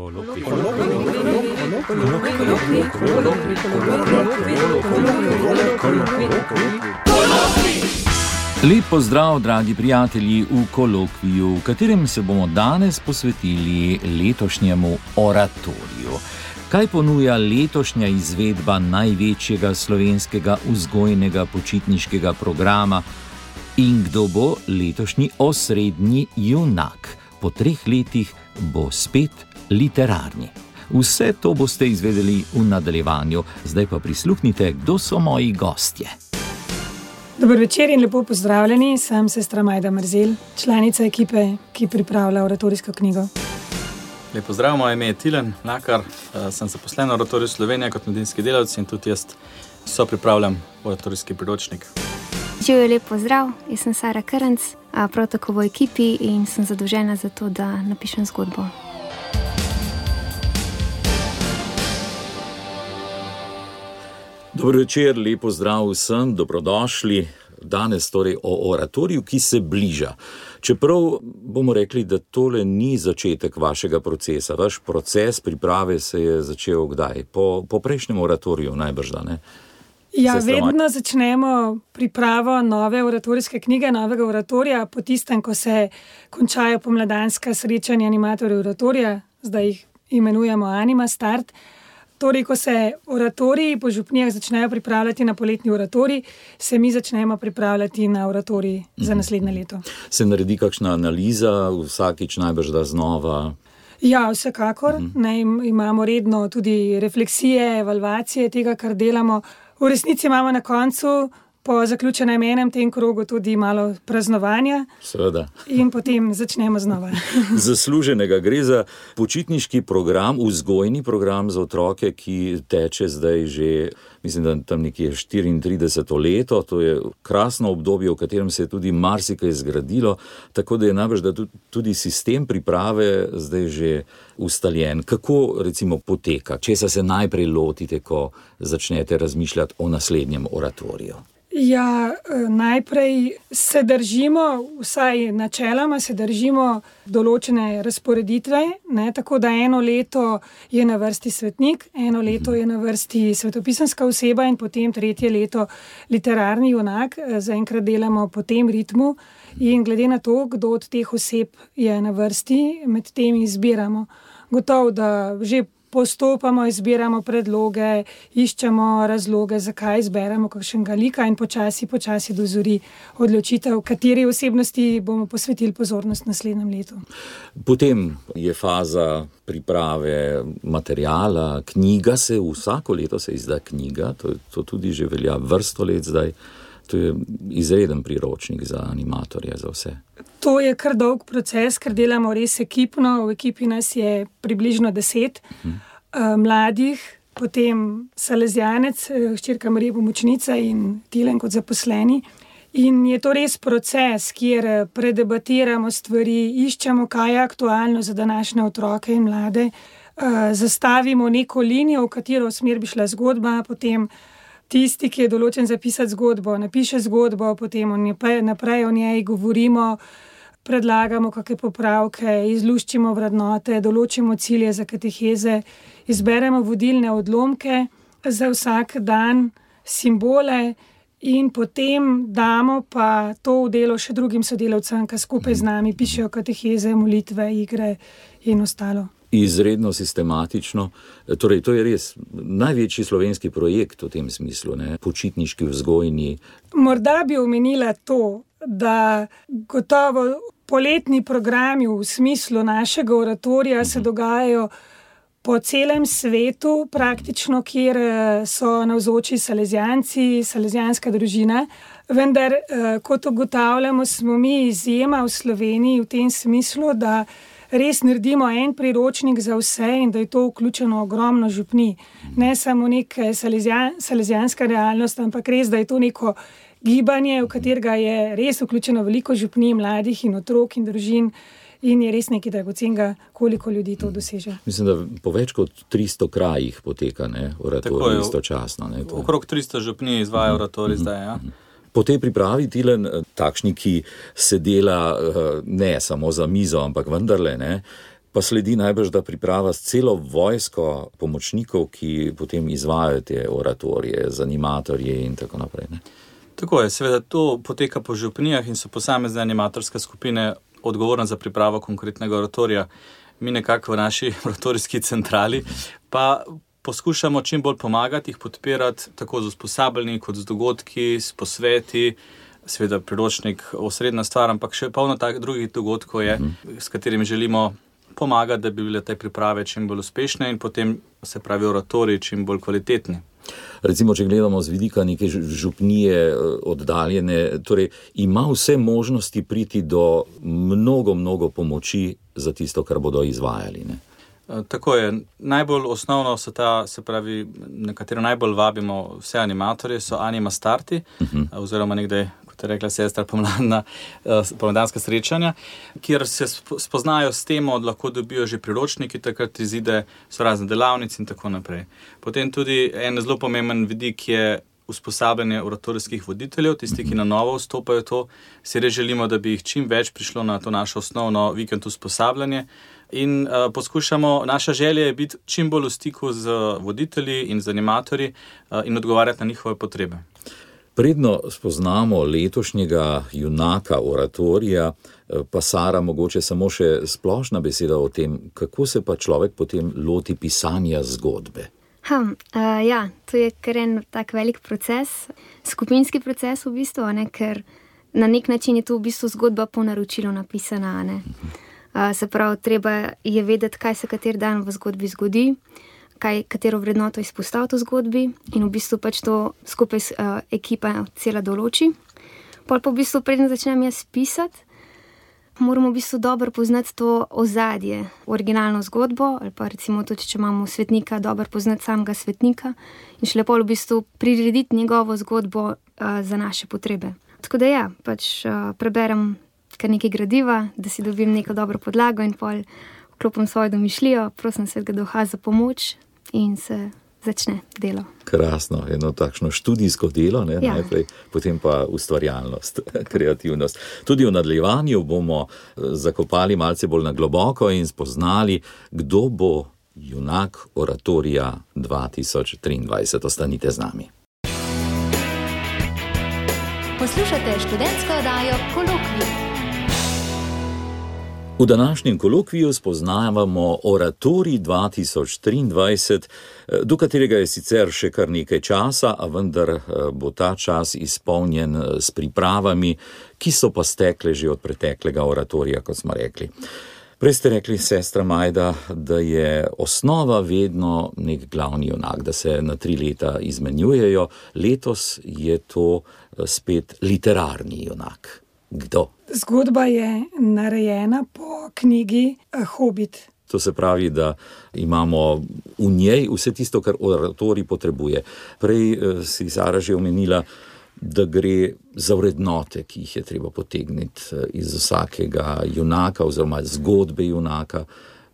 Lep pozdrav, dragi prijatelji, v kolokviju, v katerem se bomo danes posvetili letošnjemu oratoriju. Kaj ponuja letošnja izvedba največjega slovenskega vzgojnega počitniškega programa in kdo bo letošnji osrednji junak? Po 3 letih bo spet literarni. Vse to boste izvedeli v nadaljevanju, zdaj pa prisluhnite, kdo so moji gostje. Dober večer in lepo pozdravljeni, sem sestra Majda Mrzel, članica ekipe, ki pripravlja oratorijsko knjigo. Lep pozdrav, moje ime je Tilen Mlakar, sem zaposlen v Oratoriju Slovenije kot mladinski delavec in tudi jaz sopripravljam oratorijski priročnik. Živijo, lep pozdrav, jaz sem Sara Krnc, prav tako v ekipi in sem zadolžena za to, da napišem zgodbo. Dobro večer, lep pozdrav vsem, dobrodošli. Danes torej o oratoriju, ki se bliža. Čeprav bomo rekli, da tole ni začetek vašega procesa. Vaš proces priprave se je začel kdaj? Po prejšnjem oratoriju najbrž, da ne? Ja, vedno začnemo pripravo nove oratorijske knjige, novega oratorija, po tistem, ko se končajo pomladanska srečanja animatorjev oratorija, zdaj jih imenujemo Anima Start. Torej, ko se oratoriji po župnijah začnejo pripravljati na poletni oratorij, se mi začnemo pripravljati na oratorij za naslednje leto. Se naredi kakšna analiza, vsakič najbrž da znova? Ja, vsekakor. Imamo redno tudi refleksije, evalvacije tega, kar delamo. V resnici imamo na koncu, po zaključenem enem tem krogu, tudi malo praznovanja. Seveda. In potem začnemo znova. Zasluženega gre za počitniški program, vzgojni program za otroke, ki teče zdaj že, mislim, da tam nekje 34. leto. To je krasno obdobje, v katerem se je tudi marsikaj zgradilo, tako da je najbrž, da tudi sistem priprave zdaj že ustaljen. Kako recimo poteka? Česa se najprej lotite, ko začnete razmišljati o naslednjem oratoriju? Ja, najprej se držimo, vsaj načeloma se držimo določene razporeditve, tako da eno leto je na vrsti svetnik, eno leto je na vrsti svetopisanska oseba in potem 3. leto literarni junak. Zaenkrat delamo po tem ritmu in glede na to, kdo od teh oseb je na vrsti, med tem izbiramo. Gotovo, da že postopamo, izbiramo predloge, iščemo razloge, zakaj izberemo kakšnega lika in počasi dozori odločitev, kateri osebnosti bomo posvetili pozornost naslednjem letu. Potem je faza priprave materiala, knjiga vsako leto se izda knjiga, to tudi že velja vrsto let zdaj. To je izreden priročnik za animatorje, za vse. To je kar dolg proces, ker delamo res ekipno. V ekipi nas je približno 10 mladih, potem Salezjanec, hčerka Marija pomočnica in Tilen kot zaposleni. In je to res proces, kjer predebatiramo stvari, iščemo, kaj je aktualno za današnje otroke in mlade, zastavimo neko linijo, v katero smer bi šla zgodba, potem tisti, ki je določen zapisati zgodbo, napiše zgodbo, potem naprej o njej govorimo, predlagamo kakšne popravke, izluščimo vrednote, določimo cilje za kateheze, izberemo vodilne odlomke za vsak dan, simbole in potem damo pa to v delo še drugim sodelavcem, ki skupaj z nami pišejo kateheze, molitve, igre in ostalo. Izredno sistematično. Torej, to je res največji slovenski projekt v tem smislu, počitniški, vzgojni. Morda bi omenila to, da gotovo poletni programi v smislu našega oratorija se dogajajo po celem svetu, praktično, kjer so navzoči Salezjanci, salezjanska družina. Vendar, kot ugotavljamo, smo mi izjema v Sloveniji v tem smislu, da res naredimo en priročnik za vse in da je to vključeno ogromno župnij. Ne samo neka salezjanska realnost, ampak res, da je to neko gibanje, v katerega je res vključeno veliko župnij, mladih in otrok in družin in je res nekaj dragocenega, koliko ljudi to doseže. Mislim, da po več kot 300 krajih poteka oratorij istočasno. Okrog 300 župnij izvaja oratorij zdaj, ja. Po tej pripravi, Tilen, takšni, ki se dela ne samo za mizo, ampak vendarle, Pa sledi najbrž, da priprava s celo vojsko pomočnikov, ki potem izvajajo te oratorije, z animatorji in tako naprej. Ne? Tako je, seveda to poteka po župnijah in so posamezne animatorske skupine odgovorne za pripravo konkretnega oratorija. Mi nekako v naši oratorijski centrali pa poskušamo čim bolj pomagati, jih podpirati tako z usposabljanji kot z dogodki, s posveti, seveda priročnik osrednja stvar, ampak še polno drugih dogodkov je, s katerimi želimo pomagati, da bi bile te priprave čim bolj uspešne in potem se pravi oratoriji čim bolj kvalitetni. Recimo, če gledamo z vidika neke župnije oddaljene, torej ima vse možnosti priti do mnogo pomoči za tisto, kar bodo izvajali, ne? Tako je. Najbolj osnovno so na katero najbolj vabimo vse animatorje, so Anima Starti, oziroma nekdaj, kot je rekla sestra, pomladanska srečanja, kjer se spoznajo s temo, lahko dobijo že priročniki, takrat izide, so razne delavnice in tako naprej. Potem tudi en zelo pomemben vidik je usposabljanje oratorijskih voditeljev, tisti, ki na novo vstopajo to, si res želimo, da bi jih čim več prišlo na to naše osnovno vikend usposabljanje in poskušamo, naša želja je biti čim bolj v stiku z voditelji in z animatorji in odgovarjati na njihove potrebe. Predno spoznamo letošnjega junaka oratorija, pa Sara, mogoče samo še splošna beseda o tem, kako se pa človek potem loti pisanja zgodbe. Ja, to je kar en tak velik proces, skupinski proces v bistvu, ker na nek način je to v bistvu zgodba po naročilu napisana, ne. Se pravi, treba je vedeti, kaj se kateri dan v zgodbi zgodi, katero vrednoto izpostaviti v zgodbi in v bistvu pač to skupaj ekipa cela določi. Pol pa v bistvu preden začnem jaz pisati, moramo v bistvu dobro poznati to ozadje, originalno zgodbo, ali pa recimo tudi, če imamo svetnika, dobro poznati samega svetnika in šele pol v bistvu prirediti njegovo zgodbo za naše potrebe. Tako da ja, pač preberem kar nekaj gradiva, da si dobim neko dobro podlago in pol vklopim svojo domišljijo, prosim Svetega Duha za pomoč in se začne delo. Krasno, eno takšno študijsko delo, ne, ja. Najprej, potem pa ustvarjalnost, kreativnost. Tudi v nadaljevanju bomo zakopali malce bolj na globoko in spoznali, kdo bo junak oratorija 2023. Ostanite z nami. Poslušate študentsko oddajo Kolokvij. V današnjem kolokviju spoznavamo oratorij 2023, do katerega je sicer še kar nekaj časa, a vendar bo ta čas izpolnjen s pripravami, ki so pa stekle že od preteklega oratorija, kot smo rekli. Prej ste rekli, sestra Majda, da je osnova vedno nek glavni junak, da se na 3 leta izmenjujejo. Letos je to spet literarni junak. Kdo? Zgodba je narejena po knjigi Hobit. To se pravi, da imamo v njej vse tisto, kar oratorij potrebuje. Prej si Sara že omenila, da gre za vrednote, ki jih je treba potegniti iz vsakega junaka oziroma zgodbe junaka.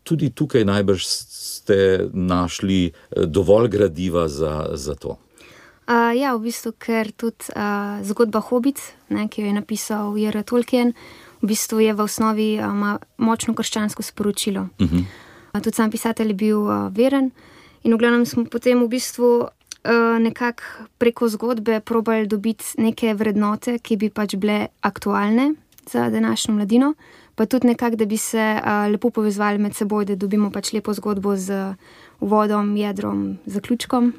Tudi tukaj najbrž ste našli dovolj gradiva za to. Ja, v bistvu, ker tudi zgodba Hobit, ki jo je napisal J.R. Tolkien, v bistvu je v osnovi močno krščansko sporočilo. Tudi sam pisatelj je bil veren in v glavnem smo potem v bistvu nekako preko zgodbe probali dobiti neke vrednote, ki bi pač bile aktualne za današnjo mladino, pa tudi nekako, da bi se lepo povezovali med seboj, da dobimo pač lepo zgodbo z uvodom, jedrom, zaključkom.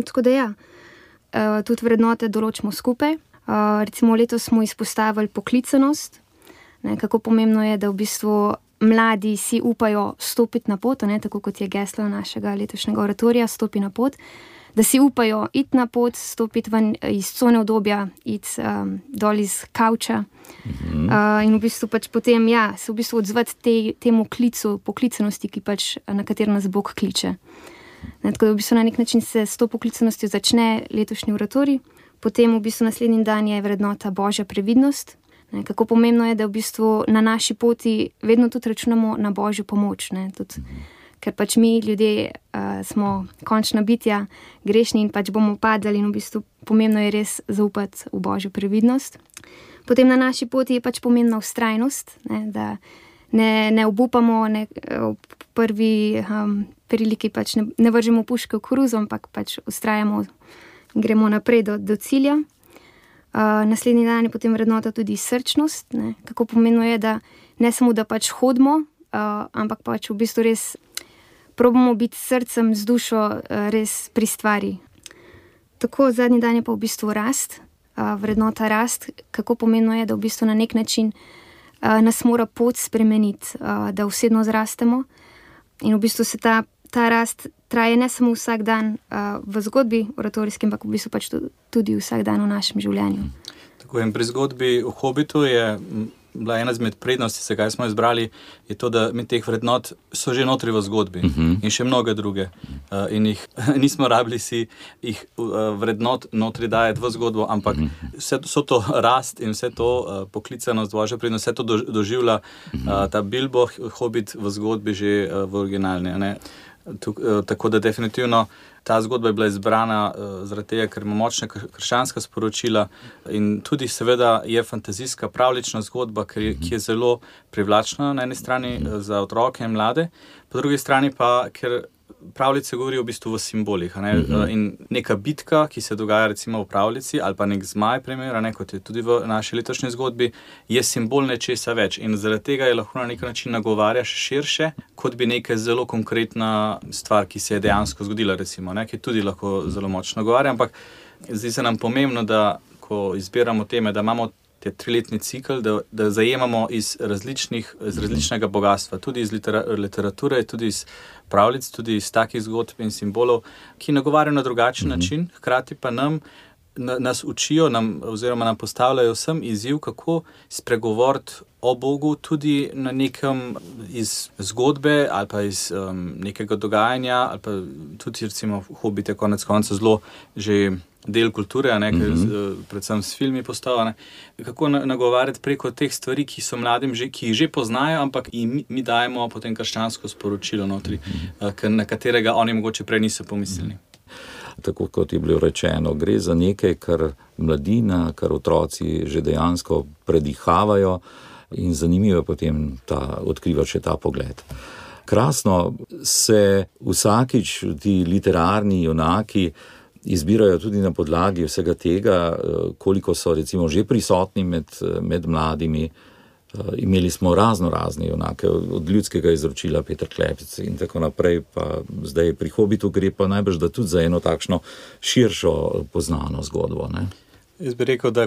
Tako da ja, tudi vrednote določimo skupaj. Recimo letos smo izpostavili poklicanost, kako pomembno je, da v bistvu mladi si upajo stopiti na pot, tako kot je geslo našega letošnjega oratorija, stopi na pot, da si upajo iti na pot, stopiti ven iz cone udobja, iti dol iz kavča in v bistvu pač potem se v bistvu odzvati temu klicu poklicanosti, ki pač, na katero nas Bog kliče. Tako da v bistvu na nek način se s to poklicanostjo začne letošnji oratorij, potem v bistvu naslednji dan je vrednota Božja previdnost. Kako pomembno je, da v bistvu na naši poti vedno tudi računamo na Božjo pomoč, tudi, ker pač mi ljudje smo končna bitja, grešni in pač bomo padali in v bistvu pomembno je res zaupati v Božjo previdnost. Potem na naši poti je pač pomembna vztrajnost, da ne obupamo, v prvi priliki pač ne vržemo puške v koruzo, ampak pač vztrajamo in gremo naprej do cilja. Naslednji dan je potem vrednota tudi srčnost, ne, kako pomembno je, da ne samo, da pač hodimo, ampak pač v bistvu res probamo biti s srcem, z dušo res pri stvari. Tako, zadnji dan je pa v bistvu rast, vrednota rast, kako pomembno je, da v bistvu na nek način nas mora pot spremeniti, da osebno zrastemo in v bistvu se ta rast traje ne samo vsak dan v zgodbi oratorijski, ampak v bistvu pač tudi vsak dan v našem življenju. Tako in pri zgodbi o Hobbitu je bila ena izmed prednosti, zakaj smo izbrali, je to, da mi teh vrednot so že notri v zgodbi in še mnoge druge. In jih nismo rabili jih vrednot notri dajati v zgodbo, ampak vso to rast in vse to poklicanost Božja prednost, vse to doživlja ta Bilbo Hobbit v zgodbi že v originalni. Tako da definitivno ta zgodba je bila izbrana zaradi tega, ker ima močna krščanska sporočila in tudi seveda je fantazijska, pravljična zgodba, ki je zelo privlačna na eni strani za otroke in mlade, po drugi strani pa, ker pravljice govorijo v bistvu v simbolih. In neka bitka, ki se dogaja recimo v pravljici, ali pa nek zmaj primer, kot je tudi v naši letošnji zgodbi, je simbol nečesa več in zaradi tega je lahko na nek način nagovarjaš širše, kot bi neka zelo konkretna stvar, ki se je dejansko zgodila, recimo, ki tudi lahko zelo močno nagovarja, ampak zdi se nam pomembno, da ko izbiramo teme, da imamo te 3-letni cikl, da zajemamo iz različnega bogatstva, tudi iz literature, tudi iz pravljic, tudi iz takih zgodb in simbolov, ki nagovarjajo na drugačen način, hkrati pa nas učijo, oziroma nam postavljajo vsem izziv, kako spregovoriti o Bogu tudi na nekem iz zgodbe ali pa iz nekega dogajanja, ali pa tudi recimo Hobbit je konec konca zelo že del kulture, predvsem s filmi postavljene. Kako nagovarjati preko teh stvari, ki so mladim ki jih že poznajo, ampak mi dajemo potem krščansko sporočilo notri, na katerega oni mogoče prej niso pomislili. Tako kot je bilo rečeno, gre za nekaj, kar mladina, kar otroci že dejansko predihavajo in zanimivo je potem odkrivati še ta pogled. Krasno se vsakič ti literarni junaki izbirajo tudi na podlagi vsega tega, koliko so recimo že prisotni med mladimi. Imeli smo razne junake, od Ljudskega izročila Peter Klepec in tako naprej, pa zdaj pri Hobbitu gre pa najbrž da tudi za eno takšno širšo poznano zgodbo. Ne? Jaz bi rekel, da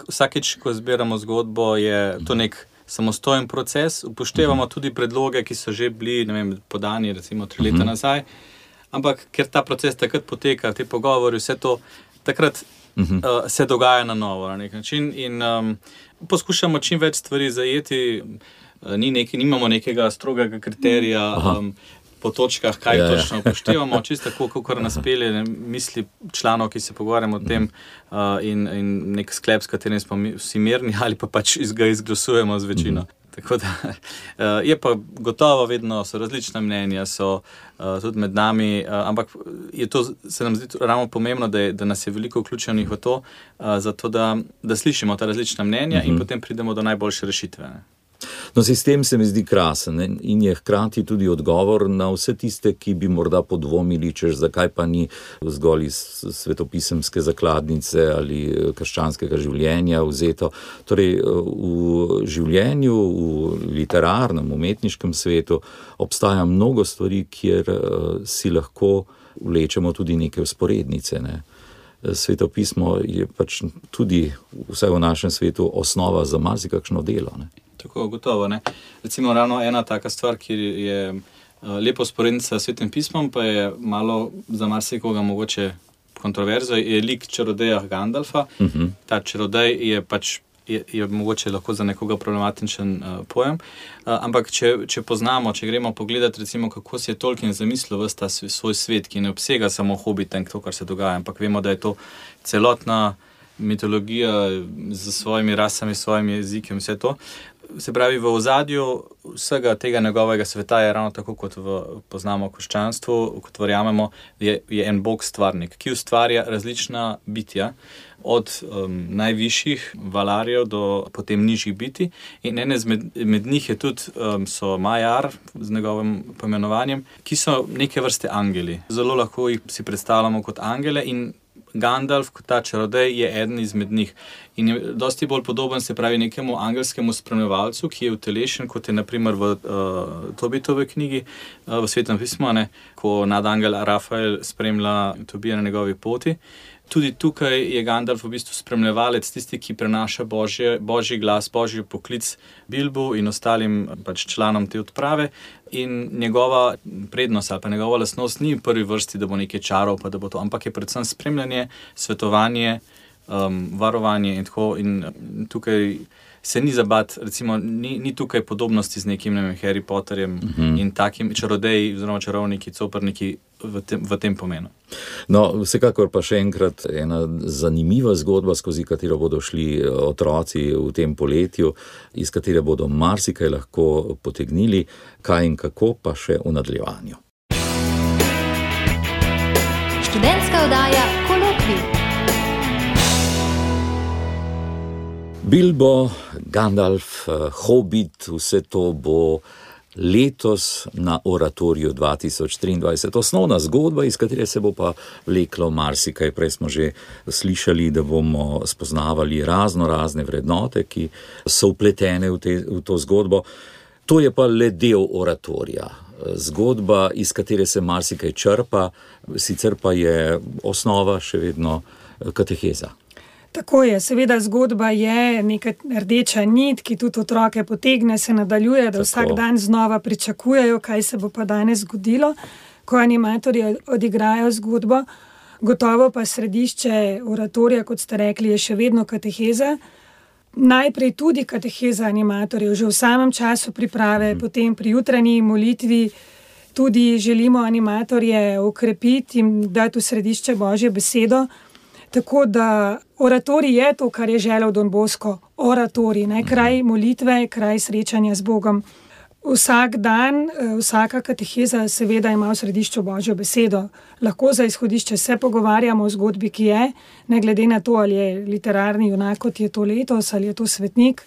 vsakič, ko zbiramo zgodbo, je to nek samostojen proces, upoštevamo tudi predloge, ki so že bili, podani recimo 3 leta nazaj, ampak ker ta proces takrat poteka, te pogovori, vse to, takrat se dogaja na novo na nek način in poskušamo čim več stvari zajeti, nimamo nekega strogega kriterija po točkah, kaj točno upoštevamo, čisto tako, kakor nas pelje misli članov, ki se pogovarjamo o tem in nek sklep, s katerim smo vsi mirni ali pa pač ga izglasujemo z večino. Tako da je pa gotovo vedno, so različna mnenja, so tudi med nami, ampak se nam zdi ravno pomembno, da nas je veliko vključenih v to, zato da slišimo ta različna mnenja in potem pridemo do najboljše rešitve. No, sistem se mi zdi krasen in je hkrati tudi odgovor na vse tiste, ki bi morda podvomili, zakaj pa ni zgolj iz svetopisemske zakladnice ali krščanskega življenja vzeto. Torej, v življenju, v literarnem, umetniškem svetu obstaja mnogo stvari, kjer si lahko vlečemo tudi neke vzporednice, ne. Svetopismo je pač tudi, vsaj v našem svetu, osnova za marsikakšno delo, ne. Tako, gotovo, ne. Recimo ravno ena taka stvar, ki je lepo sporednica s Svetim pismom, pa je malo za marsikoga mogoče kontroverzo, je lik čarodeja Gandalfa. Ta čarodej je pač je mogoče lahko za nekoga problematičen pojem, ampak če poznamo, če gremo pogledati recimo, kako si je Tolkien zamislil ves ta svoj svet, ki ne obsega samo Hobbita in to, kar se dogaja, ampak vemo, da je to celotna mitologija z svojimi rasami, svojimi jeziki in vse to. se pravi, v ozadju vsega tega njegovega sveta je ravno tako, kot poznamo v krščanstvu, kot verjamemo, je en Bog stvarnik, ki ustvarja različna bitja, od najvišjih valarjev do potem nižjih bitij. In ene med njih je tudi so Majar z njegovim poimenovanjem, ki so neke vrste angeli. Zelo lahko jih si predstavljamo kot angele in Gandalf, kot ta čarodej, je eden izmed njih. In je dosti bolj podoben, se pravi, nekemu angelskemu spremljevalcu, ki je utelešen, kot je naprimer v Tobitovi knjigi, v Svetem pismu, ko nadangel Rafael spremlja Tobija na njegovi poti. Tudi tukaj je Gandalf v bistvu spremljevalec, tisti, ki prenaša božji glas, božji poklic Bilbu in ostalim pač članom te odprave. In njegova prednost ali pa njegova lastnost ni v prvi vrsti, da bo nekaj čarov, pa da bo to, ampak je predvsem spremljanje, svetovanje, varovanje in tako. In tukaj se ni zabat, recimo, ni tukaj podobnosti z nekim Harry Potterjem in takim čarodeji oziroma čarovniki, coprniki v tem pomenu. No, vsekakor pa še enkrat ena zanimiva zgodba, skozi katero bodo šli otroci v tem poletju, iz katere bodo marsikaj lahko potegnili, kaj in kako pa še v nadaljevanju. Študentska oddaja Kolokvij. Bilbo, Gandalf, Hobbit, vse to bo letos na Oratoriju 2023. Osnovna zgodba, iz katere se bo pa vleklo marsikaj. Prej smo že slišali, da bomo spoznavali razne vrednote, ki so vpletene v to zgodbo. To je pa le del oratorija. Zgodba, iz katere se marsikaj črpa, sicer pa je osnova še vedno kateheza. Tako je, seveda zgodba je neka rdeča nit, ki tudi otroke potegne, se nadaljuje, da vsak dan znova pričakujejo, kaj se bo pa danes zgodilo, ko animatorji odigrajo zgodbo. Gotovo pa središče oratorija, kot ste rekli, je še vedno kateheza. Najprej tudi kateheza animatorjev, že v samem času priprave, potem pri jutranji molitvi tudi želimo animatorje okrepiti in dati v središče Božjo besedo. Tako da oratorij je to, kar je želel Don Bosco, oratorij, kraj molitve, kraj srečanja z Bogom. Vsak dan, vsaka kateheza seveda ima v središču Božjo besedo. Lahko za izhodišče se pogovarjamo o zgodbi, ki je, ne glede na to, ali je literarni junak, kot je to letos, ali je to svetnik,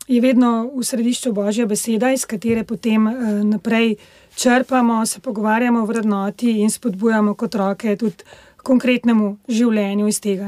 je vedno v središču Božja beseda, iz katere potem naprej črpamo, se pogovarjamo o vrednoti in spodbujamo kot otroke tudi konkretnemu življenju iz tega.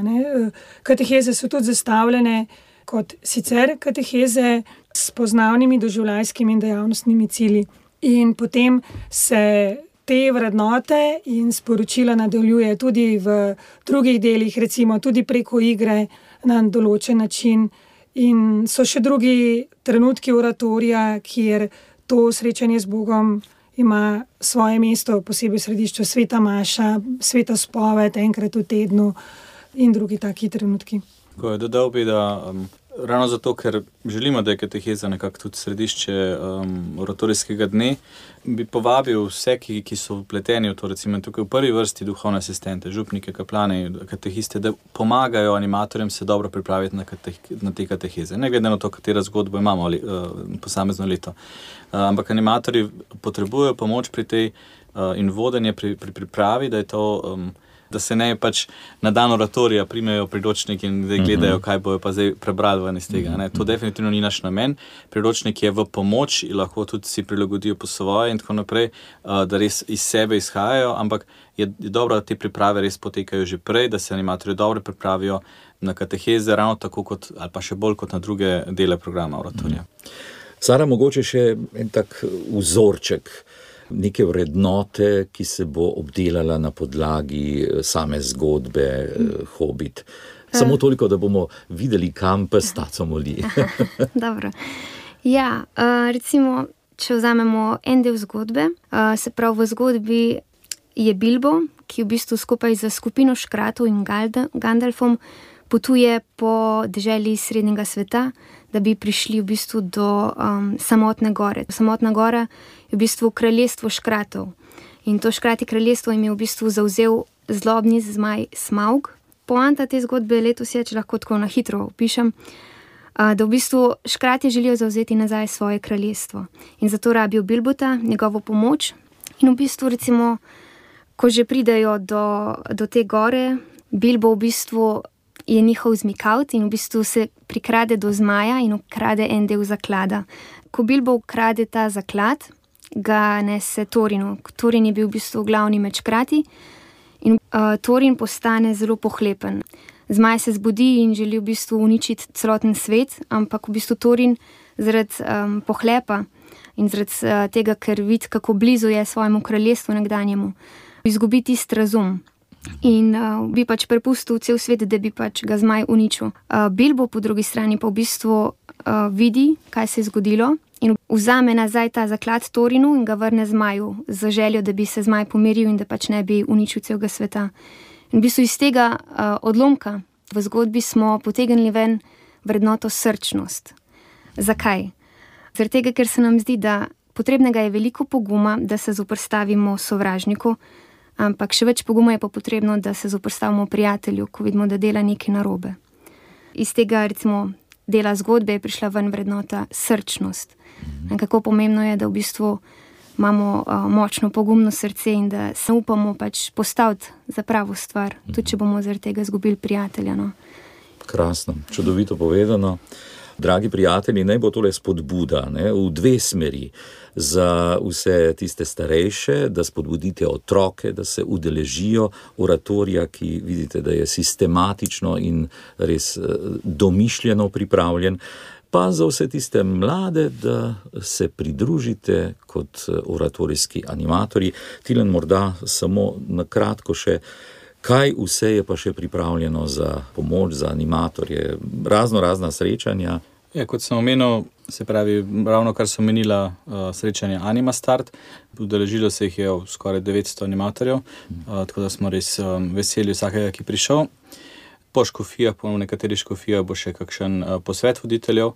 Kateheze so tudi zastavljene kot sicer kateheze s poznavnimi doživljajskimi in dejavnostnimi cilji. In potem se te vrednote in sporočila nadaljuje tudi v drugih delih, recimo tudi preko igre na določen način. In so še drugi trenutki oratorija, kjer to srečanje z Bogom ima svoje mesto, posebej v središču sveta maša, sveta spoved, enkrat v tednu in drugi taki trenutki. Dodal bi, da ravno zato, ker želimo, da je kateheza nekako tudi središče oratorijskega dne, bi povabil vse, ki so vpleteni v to, recimo tukaj v prvi vrsti duhovne asistente, župnike, kaplane, katehiste, da pomagajo animatorjem se dobro pripraviti na te kateheze. Ne glede na to, katera zgodbo imamo posamezno leto. Ampak animatorji potrebujejo pomoč pri tej in vodenje pri pripravi, da je to da se ne pač na dan oratorija primejo priročnik in da gledajo, kaj bojo pa zdaj prebrali ven iz tega. To definitivno ni naš namen. Priročnik je v pomoč in lahko tudi si prilagodijo po svoje in tako naprej, da res iz sebe izhajajo, ampak je dobro, da te priprave res potekajo že prej, da se animatorji dobro pripravijo na kateheze, ravno tako kot, ali pa še bolj kot na druge dele programa oratorija. Sara, mogoče še en tak vzorček neke vrednote, ki se bo obdelala na podlagi same zgodbe Hobbit. Samo toliko, da bomo videli, kam pes taco moli. Dobro. Ja, recimo, če vzamemo en del zgodbe, se pravi v zgodbi je Bilbo, ki v bistvu skupaj za skupino škratov in Gandalfom potuje po deželi srednjega sveta, da bi prišli v bistvu do Samotne gore. Samotna gora je v bistvu kraljestvo škratov. In to škrati kraljestvo jim je v bistvu zavzel zlobni zmaj Smaug. Poanta te zgodbe letos je, če lahko tako na hitro opišem, da v bistvu škratje želijo zavzeti nazaj svoje kraljestvo. In zato rabijo Bilbota, njegovo pomoč. In v bistvu, recimo, ko že pridejo do te gore, Bilbo v bistvu je njihov zmikavt in v bistvu se prikrade do zmaja in ukrade en del zaklada. Ko Bilbo ukrade ta zaklad, ga nese Thorinu. Thorin je bil v bistvu glavni med škrati in Thorin postane zelo pohlepen. Zmaj se zbudi in želi v bistvu uničiti celoten svet, ampak v bistvu Thorin zaradi pohlepa in zaradi tega, ker vidi, kako blizu je svojemu kraljestvu nekdanjemu, izgubi tisti razum. In bi pač prepustil cel svet, da bi pač ga zmaj uničil. Bilbo po drugi strani pa v bistvu vidi, kaj se je zgodilo in vzame nazaj ta zaklad Thorinu in ga vrne zmaju z željo, da bi se zmaj pomiril in da pač ne bi uničil celega sveta. In v bistvu iz tega odlomka v zgodbi smo potegnili ven vrednoto srčnost. Zakaj? Zaradi tega, ker se nam zdi, da potrebnega je veliko poguma, da se zoperstavimo sovražniku, ampak še več poguma je pa potrebno, da se zoperstavimo prijatelju, ko vidimo, da dela nekaj narobe. Iz tega, recimo, dela zgodbe je prišla ven vrednota srčnost. In kako pomembno je, da v bistvu imamo močno pogumno srce in da se upamo pač postaviti za pravo stvar, tudi če bomo zaradi tega izgubili prijatelja. No. Krasno, čudovito povedano. Dragi prijatelji, naj bo tole spodbuda, v dve smeri. Za vse tiste starejše, da spodbudite otroke, da se udeležijo oratorija, ki vidite, da je sistematično in res domišljeno pripravljen, pa za vse tiste mlade, da se pridružite kot oratorijski animatorji. Tilen, morda samo na kratko še, kaj vse je pa še pripravljeno za pomoč, za animatorje, razna srečanja? Ja, kot sem omenil, se pravi, ravno kar so omenila srečanja Anima Start, udeležilo se jih je skoraj 900 animatorjev, tako da smo res veseli vsakega, ki prišel. Po škofijah, po nekaterih škofijah bo še kakšen posvet voditeljev,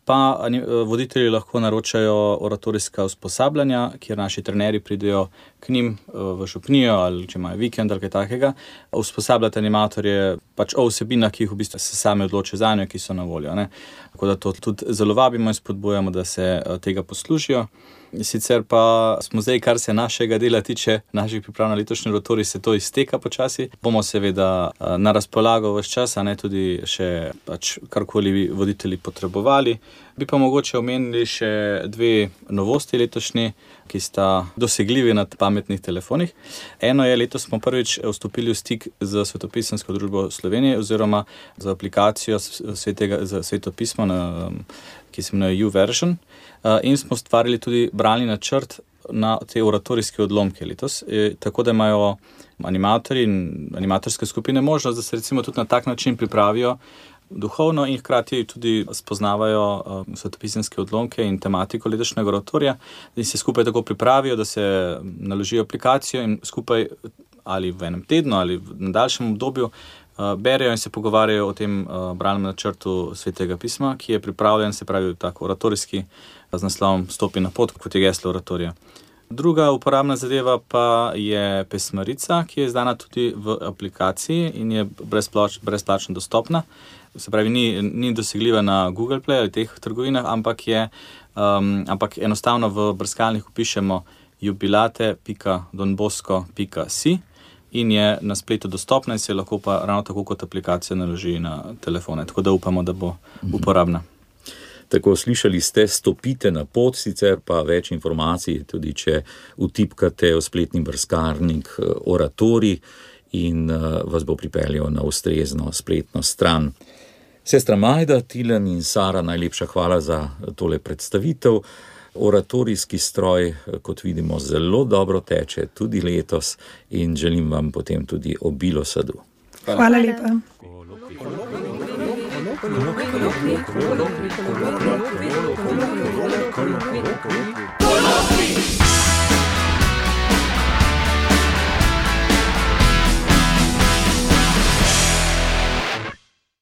pa voditelji lahko naročajo oratorijska usposabljanja, kjer naši trenerji pridejo k njim v župnijo ali če imajo vikend ali kaj takega, usposabljati animatorje pač o vsebinah, ki jih v bistvu se sami odločijo zanjo, ki so na voljo. Ne. Tako da to tudi zelo vabimo in spodbujamo, da se tega poslužijo. Sicer pa smo zdaj, kar se našega dela tiče, naših priprav na letošnji oratorij, se to izteka počasi. Bomo seveda na razpolago ves čas, a ne tudi še pač karkoli voditelji potrebovali. Bi pa mogoče omenili še dve novosti letošnji, ki sta dosegljivi na pametnih telefonih. Eno je, letos smo prvič vstopili v stik z Svetopisemsko družbo Slovenije oziroma z aplikacijo za svetopismo, ki se imenuje YouVersion, in smo ustvarili tudi bralni načrt na te oratorijske odlomke letos, tako da imajo animatorji in animatorske skupine možnost, da se recimo tudi na tak način pripravijo duhovno in hkrati tudi spoznavajo svetopisemske odlomke in tematiko letošnjega oratorija, da se skupaj tako pripravijo, da se naložijo aplikacijo in skupaj ali v enem tednu ali v daljšem obdobju berejo in se pogovarjajo o tem bralnem načrtu Svetega pisma, ki je pripravljen, se pravi tako oratorijski, z naslovom Stopi na pot, kot je geslo oratorija. Druga uporabna zadeva pa je pesmarica, ki je izdana tudi v aplikaciji in je brezplačno dostopna. Se pravi, ni dosegljiva na Google Play ali teh trgovinah, ampak enostavno v brskalniku pišemo jubilate.donbosco.si in je na spletu dostopna in se lahko pa ravno tako kot aplikacija naloži na telefone. Tako da upamo, da bo uporabna. Tako, slišali ste, stopite na pot, sicer pa več informacij, tudi če vtipkate v spletni brskalnik oratorij in vas bo pripeljal na ustrezno spletno stran. Sestra Majda, Tilen in Sara, najlepša hvala za tole predstavitev. Oratorijski stroj, kot vidimo, zelo dobro teče tudi letos in želim vam potem tudi obilo sadu. Hvala lepa. Kolokvij.